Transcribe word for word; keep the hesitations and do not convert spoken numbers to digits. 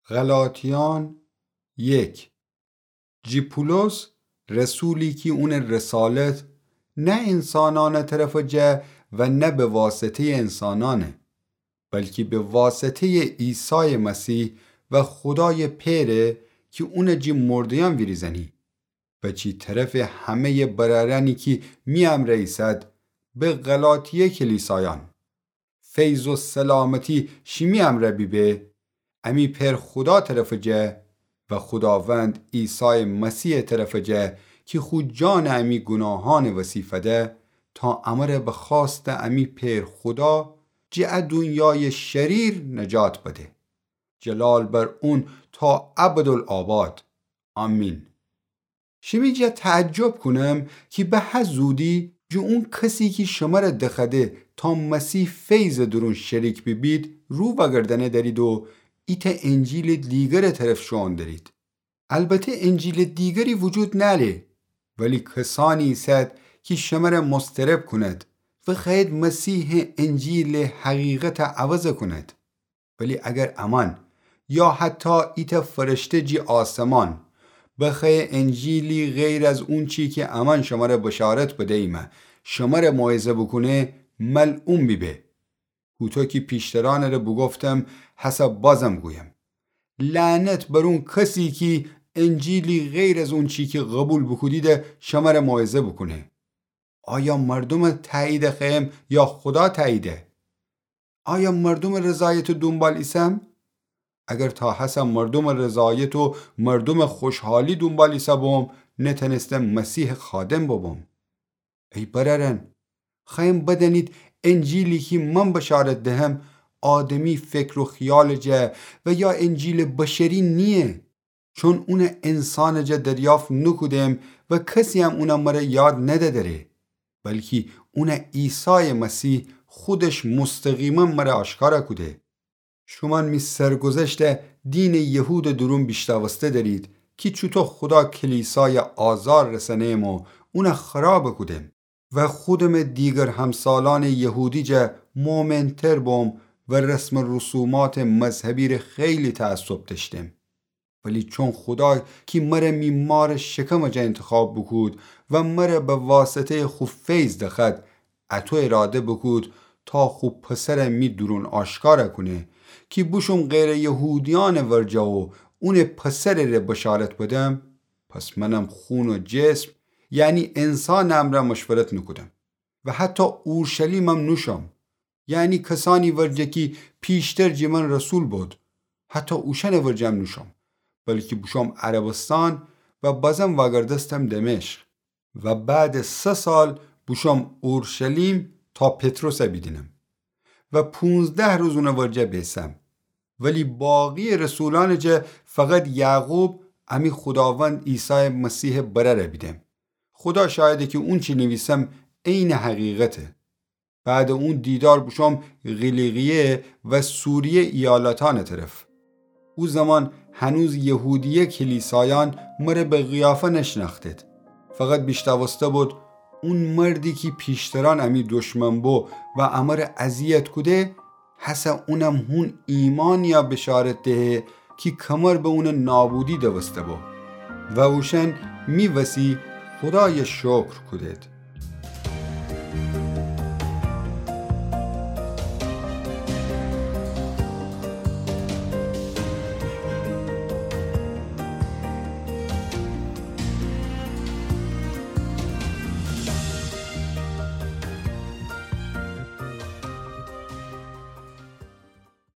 غلاطیان یک. جی پولس، رسولی کی اونٚ رسالت نه انسانأنٚ طرفٚ جه و نه به واسطه‌یٚ انسانأنه، بلکی به واسطه‌یٚ عیسایٚ مسیح و خودایٚ پئره کی اونٚ جی مرده‌یأن ویریزأنی و چی طرفٚ همه‌یٚ برأرأنی کی می امرأ ایسد، به غلاطیه کلیسایأن. فیض و سلامتی شیمی امرأ بیبه. امی پئر خودا طرفٚ جه و خوداوند عیسایٚ مسیحٚ طرفٚ جه کی خو جانٚ امی گوناهأنٚ وسی فده، تا امره به خواستٚ امی پئر خودا جٚه ا دونیایٚ شریر نجات بده. جلال بر اون تا ابدالآباد. آمین. شیمی جا تعجب کونم کی به هه زودی جٚه اون کسی کی شمره دخوأده تا مسیح فیضٚ دورون شریک بیبید، رو وأگردأنه دأرید و ایتأ انجیلٚ دیگرٚ طرف شوئون دأرید. البته انجیلٚ دیگری وجود نأره، ولی کسأنی ایسد کی شمره مضطرب کونید و خوأیید مسیحٚ انجیلٚ حقیقت عوض کونید. ولی اگر امأن یا حتی ایتأ فرشته جی آسمان بخوأیه انجیلی غیر از اونچی کی امأن شمره بشارت بدییمه شمره موعظه بوکونه، ملعون بیبه. هوطو کی پیشترأنٚ ره بوگفتم، هسه بازم گویم، لعنت بر اون کسی کی انجیلی غیر از اونچی کی قوبیل بوکودیده شمره موعظه بوکونه. آیا مردومٚ تأییده خوأیم یا خودا تأییده؟ آیا مردومٚ رضایتٚ دونبال ایسم؟ اگر تا هسه مردومٚ رضایت و مردومٚ خوشحالی دونبال ایسه‌بوم، نتأنستم مسیحٚ خادم ببوم. ای برأرأن، خوأیم بدأنید انجیلی کی من بشارت دهم، آدمی فکر و خیالٚ جه و یا انجیلٚ بشری نییه. چون اون انسانٚ جا دریافت نوکودم و کسیم اون مره یاد ندأدره، بلکی اون عیسایٚ مسیح خودش مستقیما مره آشکارا کوده. شومأن می سرگذشت دینٚ یهودٚ دورون بیشنوسته دأرید کی چوطو خودا کلیسای آزار رسأنم و اون خراب کودم. و خودمٚ دیگر همسالأنٚ یهودی جا مؤمن‌تر بوم و رسم و رسوماتٚ مذهبی ره خیلی تعصب دأشتم. ولی چون خودا کی مره می مارٚ شکمٚ جا انتخاب بوکود و مره به واسطه‌یٚ خو فیض دخوأد، اطو اراده بوکود تا خو پسر می دورون آشکار کونه کی بوشوم غیرٚ یهودیأنٚ ورجه و اونٚ پسرٚ ره بشارت بدم، پس منم خون و جسم، یعنی انسانٚ امرأ مشورت نوکودم و حتی اورشلیمم نوشوم، یعنی کسأنی ورجه کی پیشتر جٚه من رسول بو، حتی اوشأنٚ ورجه‌م نوشوم، بلکی بوشوم عربستان و بازم وأگردستم دمشق و بعدٚ سه سال بوشوم اورشلیم تا پطرس بیدینم و پونزده روز اونٚ ورجه بیسم. ولی باقییٚ رسولأنٚ جا فقط یعقوب، امی خوداوند عیسایٚ مسیحٚ برأر بیدم. خودا شاهده کی اونچی نیویسم عینٚ حقیقته. بعدٚ اون دیدار بوشوم قیلیقیه و سوریه ایالتأنٚ طرف. او زمان هنوز یهودیه کلیسایأن مره به قیافه نشنأختید. فقط بیشنوسته بود اون مردی کی پیشترأن امی دشمن بو و امره اذیت کوده، هسه اونم هون ایمأنیا بشارت دهه کی کمر به اونٚ نابودی دوسته بو. و اوشأن می وسی خودای شکر کودید.